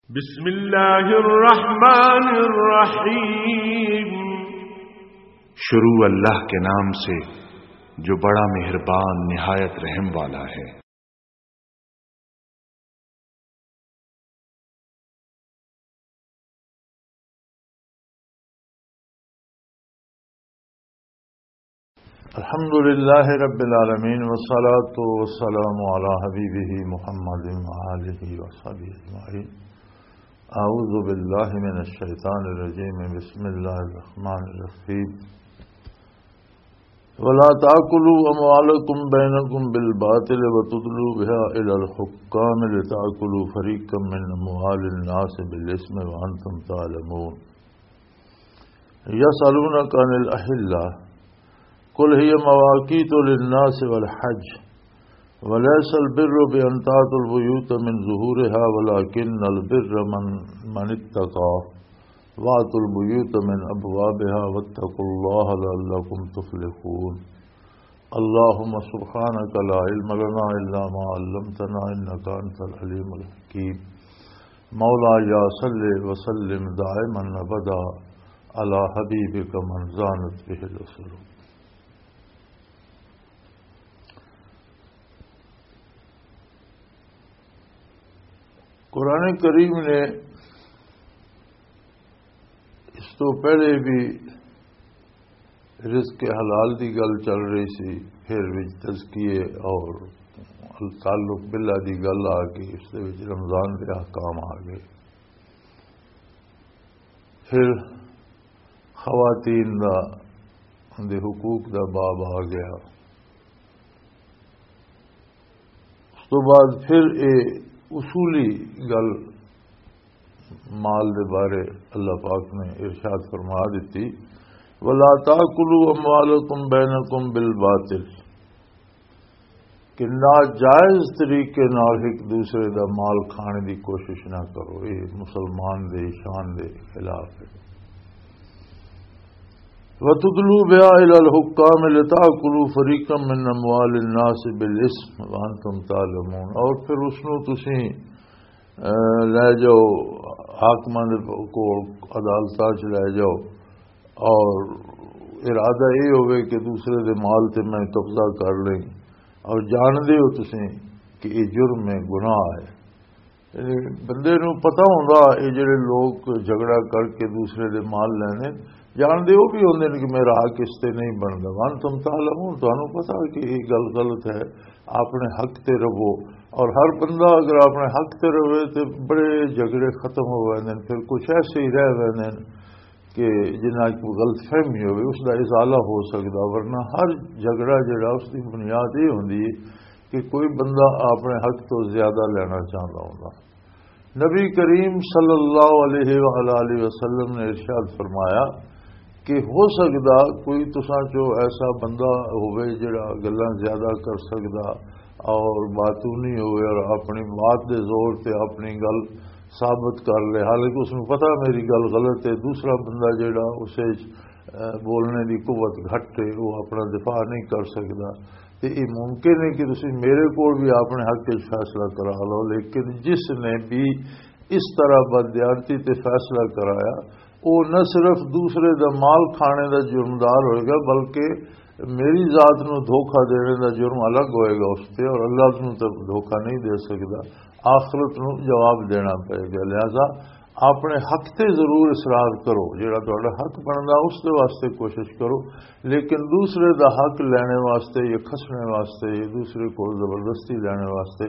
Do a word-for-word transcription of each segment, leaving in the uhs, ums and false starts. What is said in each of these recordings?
بسم اللہ الرحمن الرحیم۔ شروع اللہ کے نام سے، جو بڑا مہربان، نہایت رحم والا ہے۔ الحمد لله رب العالمين، والصلاة والسلام على حبيبه محمد وآله وصحبه أجمعين۔ أعوذ بالله من الشيطان الرجيم، بسم الله الرحمن الرحيم۔ ولا تأكلوا أموالكم بينكم بالباطل وتدلوا بها إلى الحكام لتأكلوا فريقا من أموال الناس بالإثم وأنتم تعلمون۔ يسألونك عن الأهلة، قل هي مواقيت للناس والحج، وليس البر بأن تأتوا البيوت من ظهورها، ولكن البر من، من اتقى، وأتوا البيوت من أبوابها، واتقوا الله لعلكم تفلحون۔ اللهم سبحانك لا علم لنا إلا ما علمتنا إنك أنت العليم الحكيم۔ مولاي صل وسلم دائما أبدا على حبيبك من زانت به الأسر۔ قرآن کریم نے اس تو پہلے بھی رزق حلال دی گل چل رہی سی، پھر وچ تزکیے اور تعلق باللہ دی گل آ گئی، اس دے وچ رمضان دے احکام آ گئے، پھر خواتین دا، دے حقوق دا باب آ گیا۔ اس تو بعد پھر اے اصولی گل مال دے بارے اللہ پاک نے ارشاد فرما دیتی، "ولا تاکلوا اموالکم بینکم بالباطل"، کہ ناجائز طریقے نال ایک دوسرے دا مال کھانے دی کوشش نہ کرو، یہ مسلمان دے شان دے خلاف ہے۔ وَتُدْلُوا بِهَا إِلَى الْحُكَّامِ لِتَأْكُلُوا فَرِيقًا مِّنْ أَمْوَالِ النَّاسِ بِالْإِثْمِ وَأَنْتُمْ تَعْلَمُونَ، اور پھر اس نوں تسی، اے، لے جاؤ حاکماں دے کول، عدالتاں چ لے جاؤ، اور ارادہ یہ ہوئے کہ دوسرے دے مال تے میں قبضہ کر لیں، اور جان دے ہو تسی کہ یہ جرم ہے، گناہ ہے۔ یعنی بندے نوں پتہ ہوندا، یہ جڑے لوگ جھگڑا کر کے دوسرے دے مال لینے، جان دے وہ بھی ہوندے نے کہ میرا حق اس تے نہیں بندا۔ وَأَنْتُمْ تَعْلَمُونَ، تانوں پتہ کہ یہ گل غلط ہے، اپنے حق تے رہو۔ اور ہر بندہ اگر اپنے حق تے رہے تے بڑے جھگڑے ختم ہو ویندے نے، پھر کچھ ایسے ہی رہ ویندے نے کہ جنہاں کو غلط فہمی ہوئے، اس دا ازالہ ہو سکدا، ورنہ ہر جھگڑا جڑا اس دی بنیاد یہ ہوندی ہے کہ کوئی بندہ اپنے حق تو زیادہ لینا چاہتا ہوندا۔ نبی کریم صلی اللہ علیہ وآلہ وسلم نے ارشاد فرمایا کہ ہو سکدا کوئی تساں چو ایسا بندہ ہوئے جڑا گلاں زیادہ کر سکدا اور باتونی ہوئے اور اپنی بات دے زور تے اپنی گل ثابت کر لے، حالانکہ اس نوں پتہ میری گل غلط ہے، دوسرا بندہ جڑا اسے، اے، بولنے دی قوت گھٹ ہے، وہ اپنا دفاع نہیں کر سکدا۔ تے یہ ممکن ہے کہ تسی میرے کول بھی اپنے حق وچ فیصلہ کرا لو، لیکن جس نے بھی اس طرح بددیانتی تے فیصلہ کرایا، وہ نہ صرف دوسرے دا مال کھانے دا جرمدار ہوئے گا، بلکہ میری ذات نو دھوکا دینے دا جرم الگ ہوئے گا اس تے، اور اللہ نو تے دھوکا نہیں دے سکدا، آخرت نو جواب دینا پئے گا۔ لہذا اپنے حق تے ضرور اصرار کرو، جڑا تہاڈا حق بندا اس دے واسطے کوشش کرو، لیکن دوسرے دا حق لینے واسطے یا کھسنے واسطے یا دوسرے کول زبردستی لینے واسطے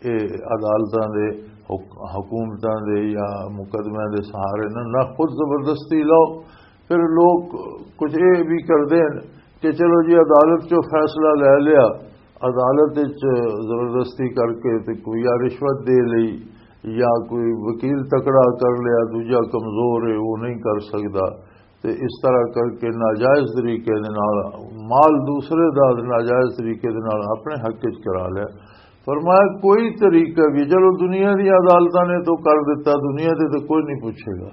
اے عدالتاں دے، حک-، حکومتاں دے یا مقدمے دے سہارے نہ، نہ خود زبردستی لو۔ پھر لوگ کچھ اے بھی کردے ہیں کہ چلو جی عدالت چوں فیصلہ لے لیا، عدالت وچ زبردستی کر کے تے کوئی یا رشوت دے لئی یا کوئی وکیل تکڑا کر لیا، دوجا کمزور ہے، وہ نہیں کر سکدا۔ تے اس طرح کر کے ناجائز طریقے دے نال مال دوسرے دا ناجائز طریقے دے نال اپنے حق وچ کرا لیا۔ فرمایا کوئی طریقہ بھی، چلو دنیا دی عدالتاں نے تو کر دیتا، دنیا دے تو کوئی نہیں پوچھے گا،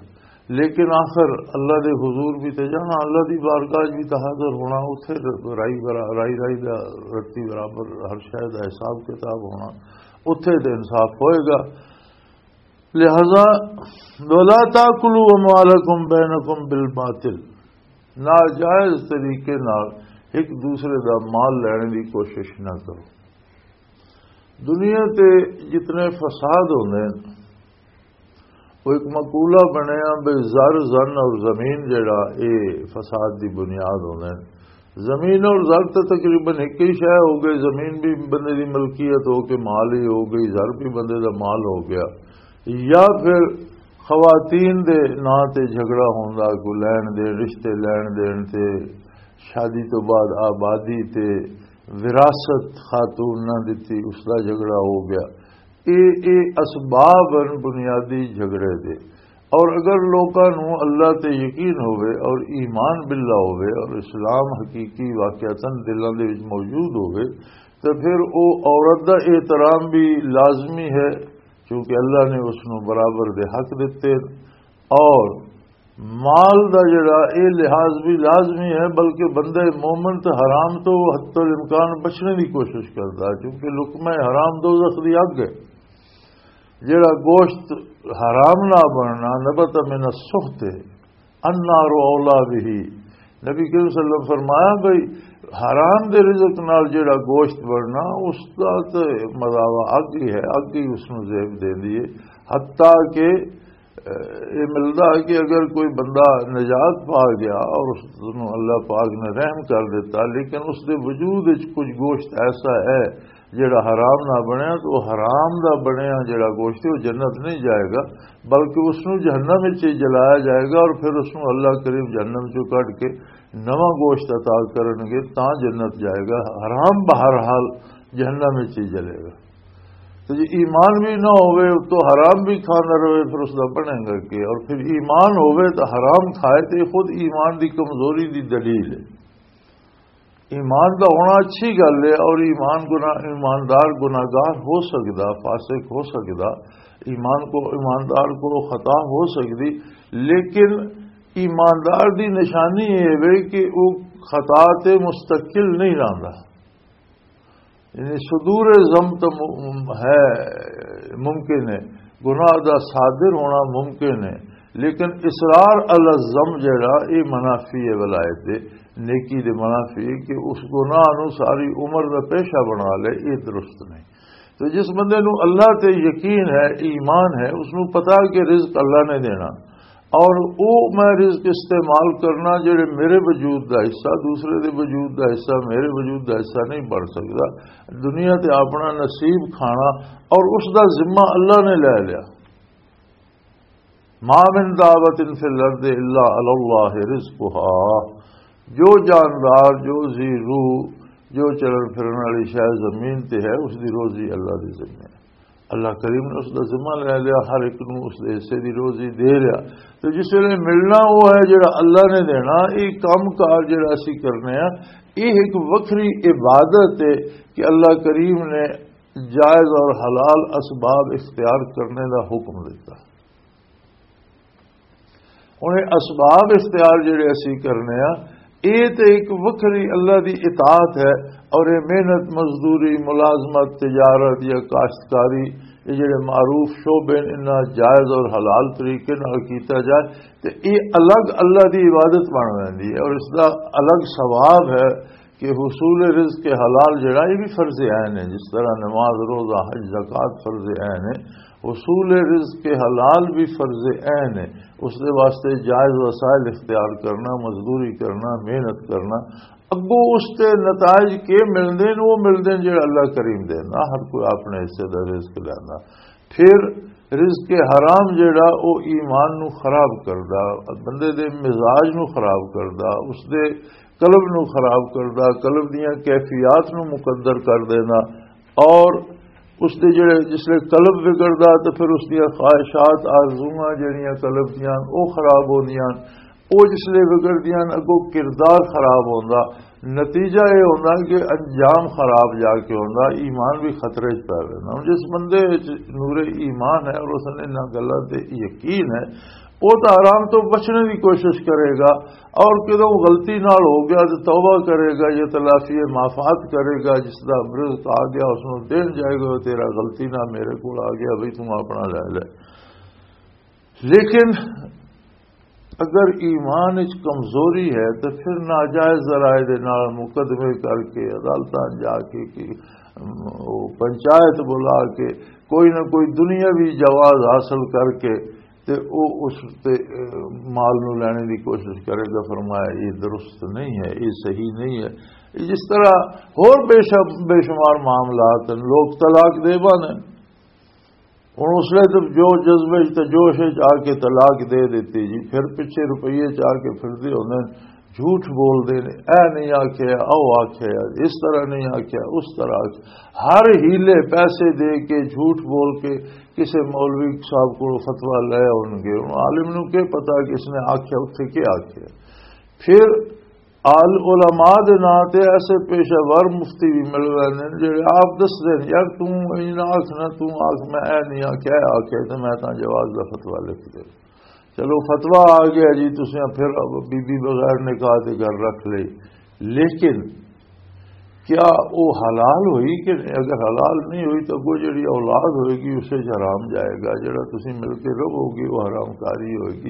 لیکن آخر اللہ دے حضور بھی تے جانا، اللہ دی بارگاہ وچ بھی تے حاضر ہونا، اتھے رائی برا-، رائی رائی دا رتی برابر ہر شے دا حساب کتاب ہونا، اتھے تے انصاف ہوئے گا۔ لہذا، ولا تاکلوا اموالکم بینکم بالباطل، ناجائز طریقے نال ایک دوسرے دا مال لینے دی کوشش نہ کرو۔ دنیا تے جتنے فساد ہوندے ہیں، وہ ایک مقولہ بنیا بھی زر، زن اور زمین جڑا، اے فساد دی بنیاد ہوندے ہیں۔ زمین اور زر تو تقریباً ایک ہی شے ہو گئی۔ زمین بھی بندے دی ملکیت ہو کے مال ہی ہو گئی، زر بھی بندے دا مال ہو گیا۔ یا پھر خواتین دے ناں تے جھگڑا ہوندا، کوئی لین دین، رشتے لین دین تے، شادی تو بعد آبادی تے، وراثت خاتون نہ دتی، اس دا جھگڑا ہو گیا۔ اے اے اسباب ہیں بنیادی جھگڑے دے۔ اور اگر لوکاں نوں اللہ تے یقین ہوئے اور ایمان باللہ ہوئے اور اسلام حقیقی واقعتاً دلاں دے وچ موجود ہوئے، تو پھر او عورت دا احترام بھی لازمی ہے، کیونکہ اللہ نے اس نوں برابر دے حق دتے۔ اور مال دا جڑا اے لحاظ بھی لازمی ہے، بلکہ بندہ مومن تے حرام تو حتی الامکان بچنے دی کوشش کردا، کیونکہ لقمہ حرام دوزخ دی اگ ہے۔ جڑا گوشت حرام نہ بننا، نبت من السحت، النار اولا به۔ نبی کریم صلی اللہ علیہ وسلم فرمایا بھئی، حرام دے رزق نال جڑا گوشت بننا، اس دا تے مداوا اگ ہی ہے، اگ ہی اس نوں زیب دیندی ہے۔ حتیٰ کہ، اے ملدا کہ اگر کوئی بندہ نجات پا گیا اور اس نوں اللہ پاک نے رحم کر دیتا، لیکن اس دے وجود وچ کچھ گوشت ایسا ہے جڑا حرام نہ بنیا، تو وہ حرام دا بنیا جڑا گوشت ہے، وہ جنت نہیں جائے گا، بلکہ اس نوں جہنم وچ ہی جلایا جائے گا اور پھر اس نوں اللہ کریم جہنم چوں کڈ کے نواں گوشت عطا کرن گے، تاں جنت جائے گا۔ حرام بہرحال جہنم وچ ہی جلے گا۔ تو جے ایمان بھی نہ ہوئے، تو حرام بھی کھانا رہے، پھر اس دا بنے گا کہ؟ اور پھر ایمان ہوئے تو حرام کھائے، تو یہ خود ایمان دی کمزوری دی دلیل ہے۔ ایمان دا ہونا اچھی گل ہے، اور ایمان گناہ، ایماندار گناہگار ہو سکدا، فاسق ہو سکدا، ایمان کو، ایماندار کو خطا ہو سکدی، لیکن ایماندار دی نشانی یہ ہے کہ وہ خطا تے مستقل نہیں رہندا۔ یعنی صدور ذم تو م-، ہے، ممکن ہے، گناہ دا صادر ہونا ممکن ہے، لیکن اصرار علی الذم جڑا، یہ منافی ہے ولایت دے، نیکی دے منافی ہے کہ اس گناہ نو ساری عمر دا پیشہ بنا لے، یہ درست نہیں۔ تو جس بندے نو اللہ تے یقین ہے، ایمان ہے، اس نو پتا کہ رزق اللہ نے دینا، اور او میں رزق استعمال کرنا جڑے میرے وجود دا حصہ، دوسرے دے وجود دا حصہ، میرے وجود دا حصہ نہیں بن سکدا۔ دنیا تے اپنا نصیب کھانا اور اس دا ذمہ اللہ نے لے لیا۔ ما من دابۃ فی الارض الا علی اللہ رزقها۔ جو جاندار، جو ذی روح، جو چلن پھرن والی شے زمین تے ہے، اس دی روزی اللہ دے ذمہ ہے۔ اللہ کریم نے اس دا ذمہ لے لیا، ہر ایک نوں اس دے حصے دی روزی دے لیا۔ تو جس ویلے ملنا وہ ہے جڑا اللہ نے دینا، یہ کام کار جڑا اسی کرنے ہیں، یہ ایک وکھری عبادت ہے کہ اللہ کریم نے جائز اور حلال اسباب اختیار کرنے دا حکم دیتا۔ انہیں اسباب اختیار جڑے اسی کرنے آ، اے تے ایک وکھری اللہ دی اطاعت ہے، اور اے محنت مزدوری، ملازمت، تجارت یا کاشتکاری، یہ جڑے معروف شعبے نے، انہاں جائز اور حلال طریقے نال کیتا جائے تے اے الگ اللہ دی عبادت بن ویندی ہے اور اس دا الگ ثواب ہے۔ کہ حصول رزق حلال جڑا، یہ بھی فرض عین ہے، جس طرح نماز، روزہ، حج، زکوٰۃ فرض عین ہے، حصول رزق حلال بھی فرض عین ہے۔ اس دے واسطے جائز وسائل اختیار کرنا، مزدوری کرنا، محنت کرنا، اگوں اس تے نتائج کے ملدے نے، وہ ملدے نے جڑا اللہ کریم دے، نہ ہر کوئی اپنے حصے دا رزق لینا۔ پھر رزق حرام جڑا، او ایمان نو خراب کردا، بندے دے مزاج نو خراب کردا، اس دے قلب نو خراب کردا، قلب دیاں کیفیات نو مقدر کر دینا۔ اور اس دے جڑے، جس لے قلب بگڑدا، تو پھر اس دیاں خواہشات، آرزوئاں جڑیاں قلب دیاں، او خراب ہوندیاں۔ او جس لے وگڑدیاں ہن، اگوں کردار خراب ہوندا، نتیجہ اے ہوندا کہ انجام خراب جا کے ہوندا، ایمان بھی خطرے چ پے ویندا۔ ہن جس بندے وچ نور ایمان ہے اور اس نے انہاں گلاں تے یقین ہے، وہ تو حرام تو بچنے کی کوشش کرے گا، اور کدوں غلطی نال ہو گیا تو توبہ کرے گا، یہ تلافی معافات کرے گا، جس دا رزق آ گیا اس نوں دین جائے گا، "تیرا غلطی نہ میرے کول آ گیا بھئی، تم اپنا لے لے۔" لیکن اگر ایمان وچ کمزوری ہے تو پھر ناجائز ذرائع دے نال مقدمے کر کے، عدالتاں جا کے، کہ وہ پنچایت بلا کے، کوئی نہ کوئی دنیاوی جواز حاصل کر کے تے او اس تے، اے، مال نو لینے دی کوشش کرے گا۔ فرمایا، یہ درست نہیں ہے، یہ صحیح نہیں ہے۔ یہ جس طرح ہور بے شم-، بے شمار معاملات ہیں، لوگ طلاق دے بانے۔ ہن اس لیے تو جو جذبے وچ تے جوش وچ آ کے طلاق دے دیتی جی، پھر پچھے روپیے چ آ کے پھردے ہوندے نے، جھوٹ بول دے نے، اے نہیں آکھیا، او آکھیا، اس طرح نہیں آکھیا، اس طرح آکھیا۔ ہر ہیلے پیسے دے کے، جھوٹ بول کے کسے مولوی صاحب کو فتویٰ لے ہون گے۔ ہن عالم نو کی پتا کہ اس نے آکھیا، اتھے کی آکھیا۔ پھر آل علماء دے ناں تے ایسے پیشہ ور مفتی بھی مل ویندے نے جڑے آپ دسدے نے، "یار، توں انج نہ آکھ نہ، توں آکھ، میں اے نہیں آکھیا، اے آکھیا تے میں تاں جواز دا فتویٰ لکھ دے۔" چلو، فتویٰ آ گیا جی، تسیں پھر اب بی بی بغیر نکاح دے گھر رکھ لئی، لیکن کیا وہ حلال ہوئی کہ نہیں؟ اگر حلال نہیں ہوئی تو اگوں جڑی اولاد ہوئے گی، اسے چ حرام جائے گا۔ جڑا تسیں مل کے رہو گے، وہ حرام کاری ہوئے گی۔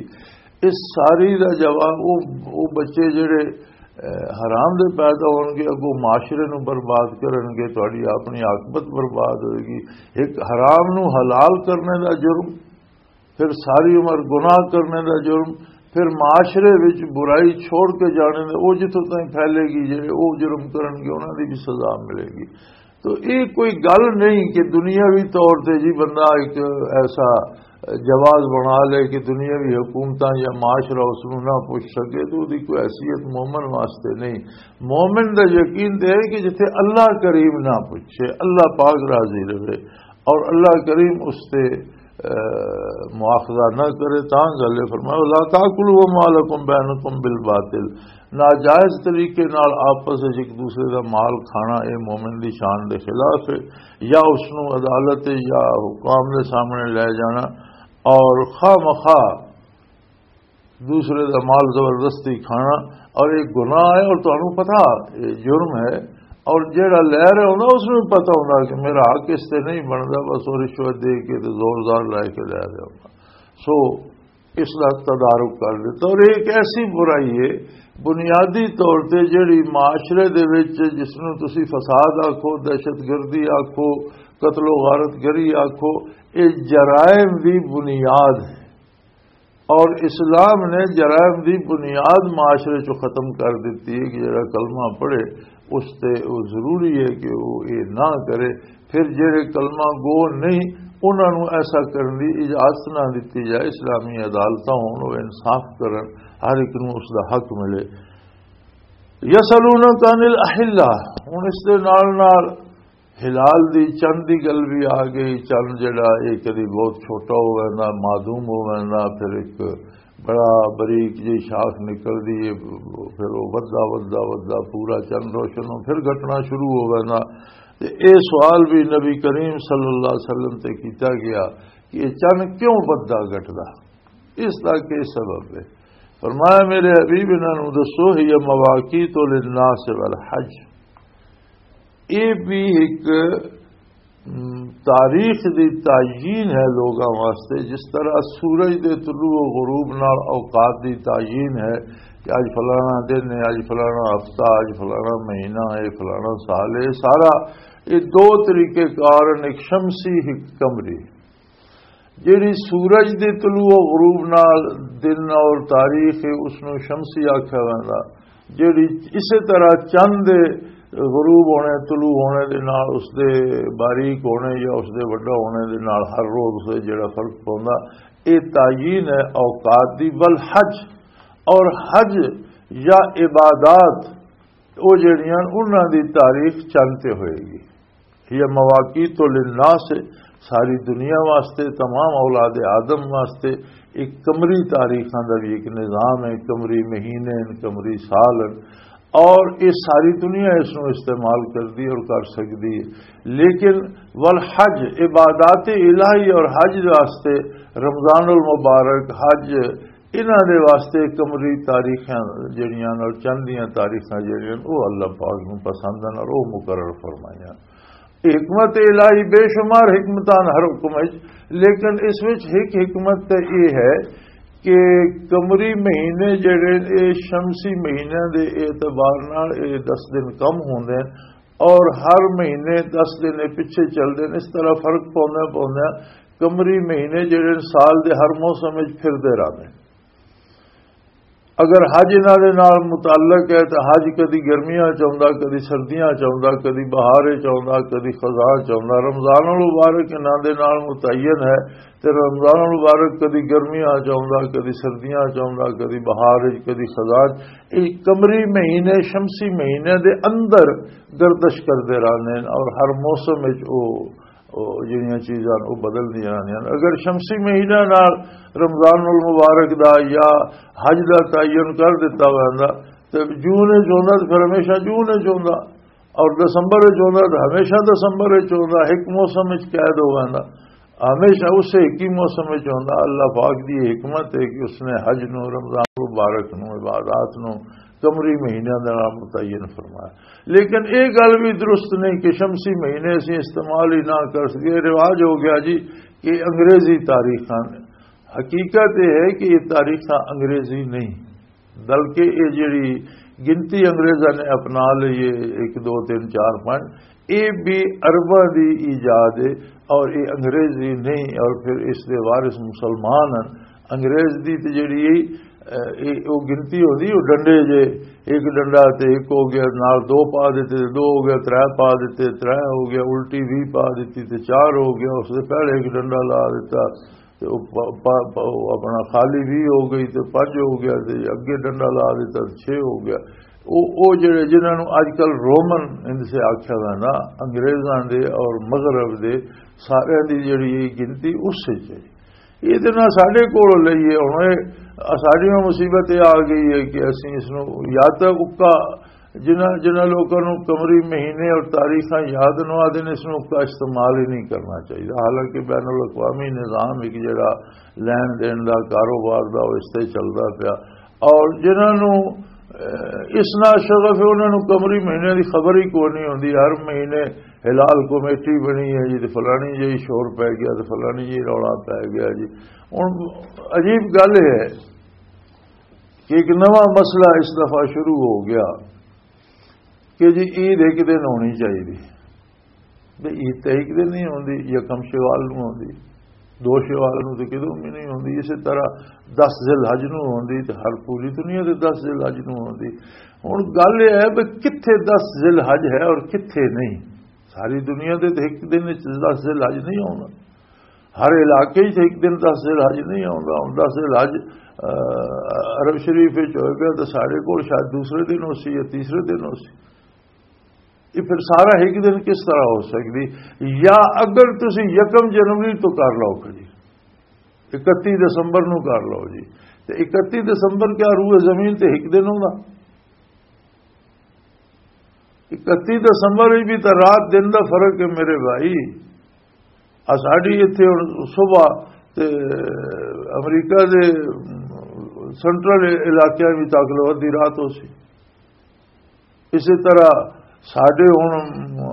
اس ساری دا جواب، وہ، وہ بچے جڑے، اے، حرام دے پیدا ہون گے، اگوں معاشرے نو برباد کرن گے، تہاڈی اپنی عاقبت برباد ہوئے گی۔ ایک حرام نو حلال کرنے دا جرم، پھر ساری عمر گناہ کرنے دا جرم، پھر معاشرے وچ برائی چھوڑ کے جانے دا، او جتھوں تائیں پھیلے گی، جڑے او جرم کرن گے، انہاں دی بھی سزا ملے گی۔ تو یہ کوئی گل نہیں کہ دنیاوی طور تے جی بندہ ایک ایسا جواز بنا لے کہ دنیاوی حکومتاں یا معاشرہ اس نوں نہ پوچھ سکے، تو دی کوئی حیثیت مومن واسطے نہیں۔ مومن دا یقین تے ہے کہ جتھے اللہ کریم نہ پوچھے، اللہ پاک راضی رہے اور اللہ کریم اس تے، اے، مواخذہ نہ کرے، تاں گل ہے۔ فرمایا، "لا تاکلوا اموالکم بینکم بالباطل۔" ناجائز طریقے نال آپس وچ ایک دوسرے دا مال کھانا، اے مومن دی شان دے خلاف ہے، یا اس نوں عدالت یا حکام دے سامنے لے جانا اور خواہ مخواہ دوسرے دا مال زبردستی کھانا، اور ایک گناہ ہے، اور تانوں پتہ یہ جرم ہے، اور جیڑا لے رہا ہوندا اس نوں پتہ ہوندا کہ میرا حق اس تے نہیں بندا، بس وہ رشوت دے کے تے زور زار لے کے لے رہا ہوندا۔ سو اس دا تدارک کر دیتا۔ اور یہ ایک ایسی برائی ہے بنیادی طور تے جڑی معاشرے دے وچ، جس نوں تسی فساد آکھو، دہشت گردی آکھو، قتل و غارت گری آکھو، یہ جرائم دی بنیاد ہے۔ اور اسلام نے جرائم دی بنیاد معاشرے چوں ختم کر دتی ہے کہ جڑا کلمہ پڑھے، اس تے وہ ضروری ہے کہ وہ یہ نہ کرے۔ پھر جڑے کلمہ گو نہیں، انہاں نوں ایسا کرن دی اجازت نہ دتی جائے۔ اسلامی عدالتاں ہون، وہ انصاف کرن، ہر ایک نوں اس دا حق ملے۔ یسألونک عن الاحلہ، ہن اس دے نال نال ہلال دی چند دی گل بھی آ گئی۔ چند جڑا، یہ کدی بہت چھوٹا ہو ویندا، معدوم ہو ویندا، پھر ایک بڑا بریک جی شاخ نکلدی ہے، پھر وہ ودھدا ودھدا ودھدا پورا چند روشن ہو، پھر گھٹنا شروع ہو ویندا۔ تے اے سوال بھی نبی کریم صلی اللہ علیہ وسلم تے کیتا گیا کہ یہ چند کیوں ودھدا گھٹدا، اس دا کی سبب ہے؟ فرمایا، میرے حبیب، انہاں نوں دسو، "ہی مواقیت للناس والحج۔" یہ بھی ایک، م، تاریخ دی تعیین ہے لوگاں واسطے، جس طرح سورج دے طلوع و غروب نال اوقات دی تعیین ہے کہ اج فلانا دن ہے، اج فلانا ہفتہ، اج فلانا مہینہ ہے، فلانا سال ہے۔ سارا یہ دو طریقے کار ہیں، ایک شمسی، ایک قمری۔ جیڑی سورج دے طلوع و غروب نال دن اور تاریخ ہے، اس نوں شمسی آکھیا ویندا۔ جیڑی اسے طرح چند دے غروب ہونے، طلوع ہونے دے نال، اس دے باریک ہونے یا اس دے وڈا ہونے دے نال ہر روز سے جیڑا فرق پوندا، اے تعیین ہے اوقات دی۔ والحج، اور حج یا عبادات، او جیڑیاں انہاں دی تاریخ چند تے ہوئے گی۔ یہ مواقیت للناس، ساری دنیا واسطے، تمام اولاد آدم واسطے ایک قمری تاریخاں دا بھی ایک نظام ہے، قمری مہینے ہیں، قمری سال ہیں، اور یہ ساری دنیا اس نوں استعمال کردی اور کر سکدی ہے۔ لیکن والحج، عبادات الہی اور حج واسطے، رمضان المبارک، حج، انہاں دے واسطے قمری تاریخاں جڑیاں اور چند دیاں تاریخاں جڑیاں، وہ اللہ پاک نوں پسند ہیں اور وہ مقرر فرمائیاں۔ حکمت الہی بے شمار حکمتاں ہر حکم وچ، لیکن اس وچ ایک حکمت تے یہ ہے کہ قمری مہینے جڑے، اے شمسی مہینے دے اعتبار نال اے دس دن کم ہوندے ہیں، اور ہر مہینے دس دن اے پیچھے چلدے نے۔ اس طرح فرق پوندا پوندا، قمری مہینے جڑے سال دے ہر موسم وچ پھردے رہندے۔ اگر حج انہاں دے نال متعلق ہے، تو حج کدی گرمیاں چ آوندا، کدی سردیاں چ آوندا، کدی بہار چ آوندا، کدی خزاں چ آوندا۔ رمضان المبارک انہاں دے نال متعین ہے، تے رمضان المبارک کدی گرمیاں چ آوندا، کدی سردیاں چ آوندا، کدی بہار چ، کدی خزاں چ۔ یہ قمری مہینے، شمسی مہینے دے اندر گردش کردے رہندے نے، اور ہر موسم وچ او، او جڑیاں چیزاں او بدل دیاں رہندیاں نے۔ اگر شمسی مہینہ نال رمضان المبارک دا یا حج دا تعین کر دتا ہوا ہوندا، تے جون وچ ہوندا تے پھر ہمیشہ جون وچ ہوندا، اور دسمبر وچ ہوندا تے ہمیشہ دسمبر وچ ہوندا، ایک موسم وچ قید ہو ویندا، ہمیشہ اسے ایک ہی موسم وچ ہوندا۔ اللہ پاک دی یہ حکمت ہے کہ اس نے حج نو، رمضان المبارک نو، عبادات نو قمری مہینہ دے نال متعین فرمایا۔ لیکن یہ گل بھی درست نہیں کہ شمسی مہینے اسی استعمال ہی نہ کر سکے۔ رواج ہو گیا جی کہ انگریزی تاریخاں، حقیقت یہ ہے کہ یہ تاریخاں انگریزی نہیں، بلکہ یہ جڑی گنتی انگریزاں نے اپنا لی ہے، ایک، دو، تین، چار، پانچ، یہ بھی عرباں دی ایجاد ہے، اور یہ انگریزی نہیں۔ اور پھر اس دے وارث مسلمان ہیں۔ انگریز دی تے جڑی، اے، اے، او گنتی ہوندی، او ڈنڈے جے، ایک ڈنڈا تے ایک ہو گیا، نال دو پا دیتے، دو ہو گیا، ترے پا دیتے، ترے ہو گیا، الٹی وی پا دیتی تے چار ہو گیا، اس دے پہلے ایک ڈنڈا لا دیتا، تے او پا-، پا-، پا-، او اپنا خالی وی ہو گئی تے پنج ہو گیا، تے اگے ڈنڈا لا دیتا تے چھ ہو گیا۔ او، او جڑے جنہاں نوں اج کل رومن ان سے آکھیا ویندا، انگریزاں دے اور مغرب دے سارے دی جڑی گنتی اس وچ ہے۔ یہ تے نہ ساڈے کول لئی ہے۔ ہن اے ساڈی نوں مصیبت یہ آ گئی ہے کہ اسی اس نوں یا تے اکا، جنہاں، جنہاں لوکاں نوں قمری مہینے اور تاریخاں یاد نہ آدے نے، اس نوں اکا استعمال ہی نہیں کرنا چاہیے۔ حالانکہ بین الاقوامی نظام ایک جڑا لین دین دا، کاروبار دا، وہ اس تے چلدا پیا۔ اور جنہاں نوں، اے، اس نال شغف ہے، انہاں نوں قمری مہینے دی خبر ہی کوئی نہیں ہوندی۔ ہر مہینے ہلال کمیٹی بنی ہے جی، تے فلانی جی شور پے گیا، تے فلانی جی رولا پے گیا جی۔ ہن عجیب گل ہے کہ ایک نواں مسئلہ اس دفعہ شروع ہو گیا کہ جی عید ایک دن ہونی چاہیے۔ تے عید تے ایک دن نہیں ہوندی، یکم شوال نوں ہوندی، دو شوال نوں تے کدوں بھی نہیں ہوندی۔ اسی طرح دس ذی الحج نوں ہوندی تے ہر پوری دنیا دے دس ذی الحج نوں ہوندی۔ ہن گل یہ ہے بھی کتھے دس ذی الحج ہے اور کتھے نہیں۔ ساری دنیا دے تے ایک دن وچ دس ذی الحج نہیں ہونا، ہر علاقے وچ ایک دن دس ذی الحج نہیں آوندا۔ ہن دس ذی الحج، آ، عرب شریف وچ ہوئے گا تے ساڈے کول شاید دوسرے دن ہو سی یا تیسرے دن ہو سی۔ یہ پھر سارا ایک دن کس طرح ہو سکدی؟ یا اگر تسی یکم جنوری تو کر لو کجی، اکتی دسمبر نو کر لو جی، تے اکتی دسمبر کیا روئے زمین تے ایک دن ہوندا؟ اکتی دسمبر وچ بھی تے رات دن دا فرق ہے میرے بھائی۔ آ ساڈی ایتھے ہن صبح تے امریکہ دے سینٹرل علاقیاں وچ تک لو ادھی رات ہو سی۔ اسی طرح ساڈے ہن، آ،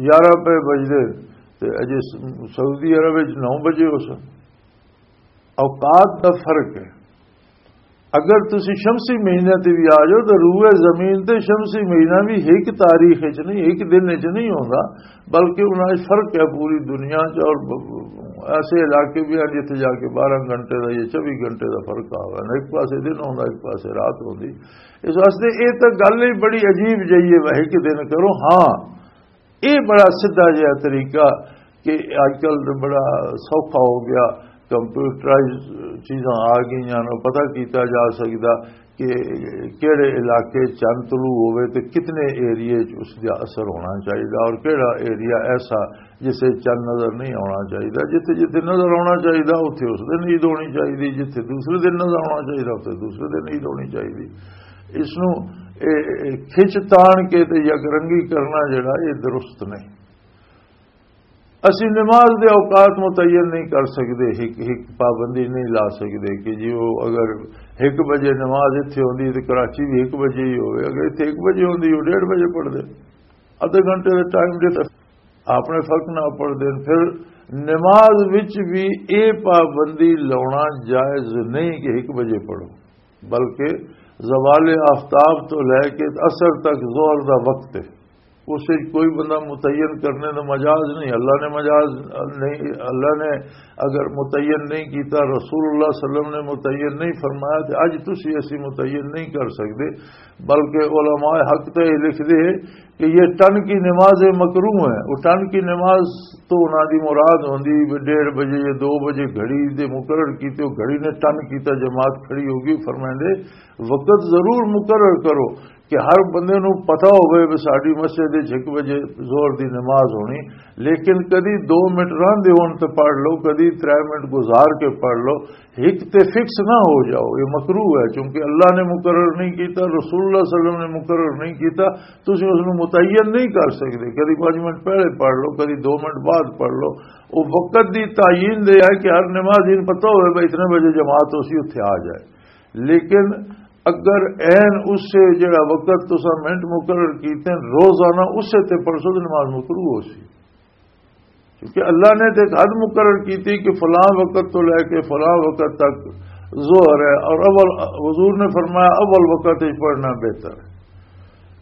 یارہ پے بجدے تے اجے س-، سعودی عرب وچ نو بجے ہو سن۔ اوقات دا فرق ہے۔ اگر تسی شمسی مہینے تے بھی آ جاؤ تو روئے زمین تے شمسی مہینہ بھی ایک تاریخ وچ نہیں، ایک دن وچ نہیں ہوندا، بلکہ انہاں وچ فرق ہے پوری دنیا چ۔ اور ب-، ایسے علاقے بھی ہیں جتھے جا کے بارہ گھنٹے دا یا چوبی گھنٹے دا فرق آ ہوا ہے، ایک پاسے دن ہوندا، ایک پاسے رات ہوندی۔ اس واسطے یہ تو گل ہی بڑی عجیب جہی ہے، وہ ایک دن کرو۔ ہاں، یہ بڑا سیدھا جہا طریقہ کہ اج کل تو بڑا سوکھا ہو گیا، کمپیوٹرائز چیزاں آ گئیاں نے، پتہ کیتا جا سکدا کہ کہڑے علاقے چند طلوع ہوئے تے کتنے ایریے چ اس دا اثر ہونا چاہیے اور کہڑا ایریا ایسا جسے چند نظر نہیں آنا چاہیے۔ جتھے جتھے نظر آنا چاہیے اتھے اس دن عید ہونی چاہیے، جتھے دوسرے دن نظر آنا چاہیے اتھے دوسرے دن عید ہونی چاہیے۔ اس نوں، اے، اے کھچ تان کے تے یک رنگی کرنا جڑا، اے درست نہیں۔ اسی نماز دے اوقات متعین نہیں کر سکدے، ایک، ایک پابندی نہیں لا سکدے کہ جی وہ اگر ایک بجے نماز اتھے ہوندی تے کراچی بھی ایک بجے ہی ہوئے، اگر اتھے ایک بجے ہوندی وہ ڈیڑھ بجے پڑھ دے، ادھے گھنٹے دے ٹائم دے تک۔ آپ نے فرق نہ پڑھ دین۔ پھر نماز وچ بھی اے پابندی لاؤنا جائز نہیں کہ ایک بجے پڑھو، بلکہ زوال آفتاب تو لے کے عصر تک ظہر دا وقت ہے۔ اس وچ کوئی بندہ متعین کرنے دا مجاز نہیں، اللہ نے مجاز نہیں، اللہ نے اگر متعین نہیں کیتا، رسول اللہ صلی اللہ علیہ وسلم نے متعین نہیں فرمایا، تے اج تسی اسی متعین نہیں کر سکتے۔ بلکہ علماء حق تے یہ لکھ دے کہ یہ ٹن کی نماز مکروہ ہے۔ وہ ٹن کی نماز تو انہاں دی مراد ہوندی بھی ڈیڑھ بجے یا دو بجے گھڑی دے مقرر کیتے، وہ گھڑی نے ٹن کیتا، جماعت کھڑی ہوگی۔ فرمائندے وقت ضرور مقرر کرو کہ ہر بندے نوں پتہ ہوئے بھی ساڈی مسجد وچ ایک بجے ظہر دی نماز ہونی، لیکن کدی دو منٹ راندے ہون تے پڑھ لو، کدی ترے منٹ گزار کے پڑھ لو، ایک تے فکس نہ ہو جاؤ، یہ مکروہ ہے، کیونکہ اللہ نے مقرر نہیں کیتا، رسول اللہ صلی اللہ علیہ وسلم نے مقرر نہیں کیتا، تسی اس نوں متعین نہیں کر سکتے۔ کدی پانچ منٹ پہلے پڑھ لو، کدی دو منٹ بعد پڑھ لو۔ وہ وقت دی تعین دے ہے کہ ہر نماز ان پتہ ہوئے بھائی اتنے بجے جماعت اسی اتھے آ جائے، لیکن اگر عین اس سے جڑا وقت تسا منٹ مقرر کیتے ہیں، روزانہ اسے تے پڑھ سو تو نماز مکروہ ہو سی۔ کیونکہ اللہ نے تے ایک حد مقرر کی تھی کہ فلاں وقت تو لے کے فلاں وقت تک ظہر ہے، اور اول، حضور نے فرمایا اول وقت ہی پڑھنا بہتر ہے۔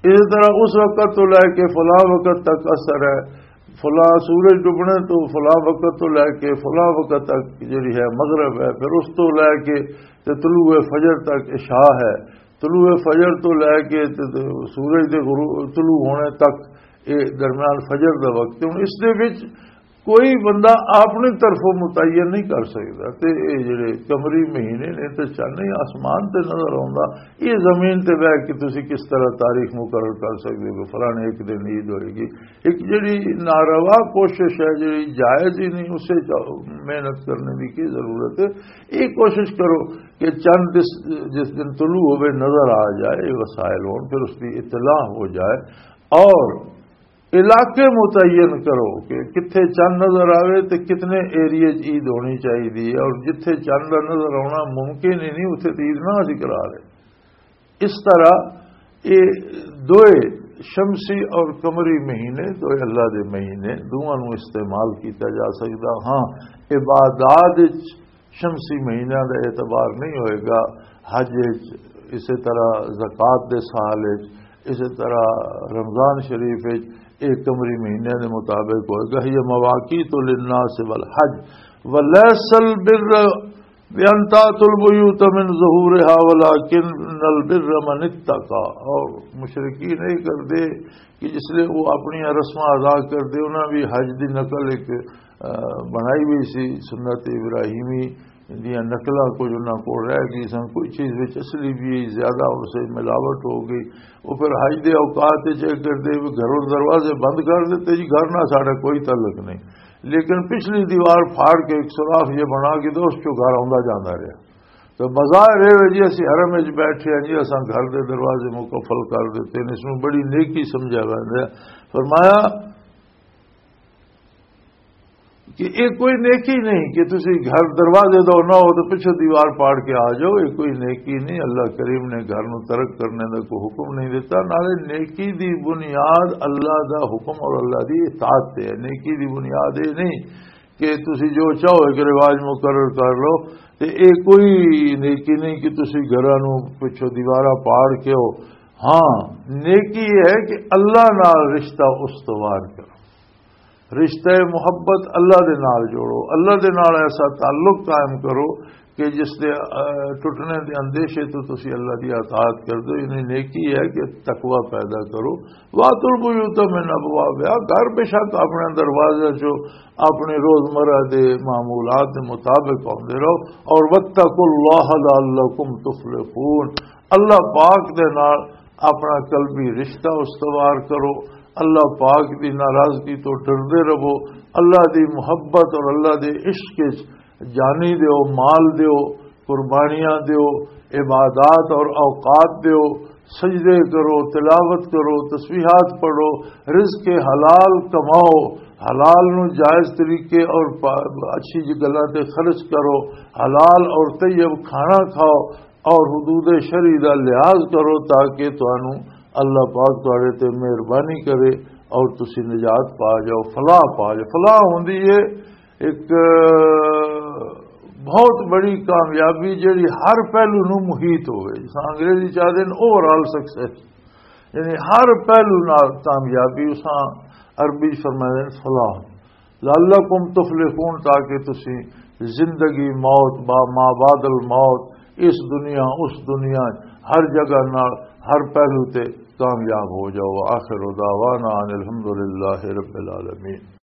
اسی طرح اس وقت تو لے کے فلاں وقت تک عصر ہے، فلاں سورج ڈوبنے تو فلاں وقت تو لے کے فلاں وقت تک جڑی ہے مغرب ہے، پھر اس تو لے کے تے طلوع فجر تک عشاء ہے، طلوع فجر تو لے کے تے، تے سورج دے غروب، طلوع ہونے تک، اے درمیان فجر دا وقت ہے۔ ہن اس دے وچ کوئی بندہ اپنی طرفوں متعین نہیں کر سکدا۔ تے اے جڑے قمری مہینے نے تے چن ہی آسمان تے نظر آوندا، اے زمین تے بیٹھ کے تسی کس طرح تاریخ مقرر کر سکدے ہو کہ فلانے ایک دن عید ہوئے گی؟ ایک جڑی ناروا کوشش ہے، جڑی جائز ہی نہیں، اسے چ-، محنت کرنے کی کی ضرورت ہے؟ یہ کوشش کرو کہ چند جس، جس دن طلوع ہوئے نظر آ جائے، یہ وسائل ہون، پھر اس کی اطلاع ہو جائے، اور علاقے متعین کرو کہ کتھے چند نظر آوے تے کتنے ایریے چ عید ہونی چاہیے، اور جتھے چند دا نظر آنا ممکن ہی نہیں، اتھے تے عید نہ اسی کرا رہے۔ اس طرح یہ دوئے، شمسی اور قمری مہینے، دوئے اللہ دے مہینے، دونوں نوں استعمال کیتا جا سکدا۔ ہاں، عبادات وچ شمسی مہینہ دا اعتبار نہیں ہوئے گا، حج وچ، اسی طرح زکوٰۃ دے سال وچ، اسی طرح رمضان شریف وچ، ایک قمری مہینے دے مطابق ہوئے گا۔ یہ مواقیت للناس والحج ولیس البر بأن تأتوا البيوت من ظهورها ولكن البر من اتقى۔ اور مشرکین نہیں کردے کہ جس لئے وہ اپنی رسماں ادا کردے، انہاں بھی حج دی نقل ایک، آ، بنائی ہوئی سی، سنت ابراہیمی دیاں نقلاں کچھ انہاں کول رہ گئی سن، کوئی چیز وچ اصلی بھی زیادہ اور سے ملاوٹ ہو گئی۔ وہ پھر حج دے اوقات وچ یہ کردے بھی گھروں دروازے بند کر دیتے جی، گھر نہ ساڈا کوئی تعلق نہیں، لیکن پچھلی دیوار پھاڑ کے ایک سوراخ یہ بنا کے تو اس چوں گھر آندا جاندا رہیا۔ تو بظاہر یہ ہے جی اسی حرم وچ بیٹھے ہیں جی، اساں گھر دے دروازے مقفل کر دیتے ہیں، اس میں بڑی نیکی سمجھا ویندا ہے۔ فرمایا کہ یہ کوئی نیکی نہیں کہ تسی گھر دروازے دو نہ ہو تو پچھو دیوار پاڑ کے آ جاؤ، یہ کوئی نیکی نہیں۔ اللہ کریم نے گھر نو ترک کرنے دا کوئی حکم نہیں دیتا، نالے نیکی دی بنیاد اللہ دا حکم اور اللہ دی اطاعت تے ہے۔ نیکی دی بنیاد یہ نہیں کہ تسی جو چاہو ایک رواج مقرر کر لو، تے یہ کوئی نیکی نہیں کہ تسی گھراں نو پچھو دیوارہ پاڑ کے ہو۔ ہاں، نیکی یہ ہے کہ اللہ نال رشتہ استوار کرو۔ رشتہ محبت اللہ دے نال جوڑو، اللہ دے نال ایسا تعلق قائم کرو کہ جس دے، آ، ٹوٹنے دے اندیشے تو تسی اللہ دی اطاعت کر دو۔ یعنی نیکی ہے کہ تقوی پیدا کرو۔ وَأْتُوا الْبُيُوتَ مِنْ أَبْوَابِهَا، گھر بے شک اپنے دروازے چوں اپنے روزمرہ دے معمولات دے مطابق آندے رہو۔ اور وَاتَّقُوا اللَّهَ لَعَلَّكُمْ تُفْلِحُونَ، اللہ پاک دے نال اپنا قلبی رشتہ استوار کرو، اللہ پاک دی ناراضگی تو ڈردے رہو، اللہ دی محبت اور اللہ دے عشق وچ جانی دیو، مال دیو، قربانیاں دیو، عبادات اور اوقات دیو، سجدے کرو، تلاوت کرو، تسبیحات پڑھو، رزق حلال کماؤ، حلال نو جائز طریقے اور پا-، اچھی جی گلاں تے خرچ کرو، حلال اور طیب کھانا کھاؤ، اور حدود شرعی دا لحاظ کرو تاکہ تانوں اللہ پاک تہاڈے تے مہربانی کرے۔ اور تسی نجات پا جاؤ، فلاح پا جاؤ۔ فلاح ہوندی ہے ایک، آ، بہت بڑی کامیابی، جڑی ہر پہلو نو محیط ہوئے۔ جس انگریزی چاہتے ہیں اوور آل سکسیس، یعنی ہر پہلو نال کامیابی۔ اساں عربی چ فرماتے ہیں فلاح، لعلکم تفلحون، تاکہ تسی زندگی، موت، با ما بعد الموت، اس دنیا، اس دنیا، ہر جگہ نال، ہر پہلو تے کامیاب ہو جاؤ۔ آخر دعوانا ان الحمدللہ رب العالمین۔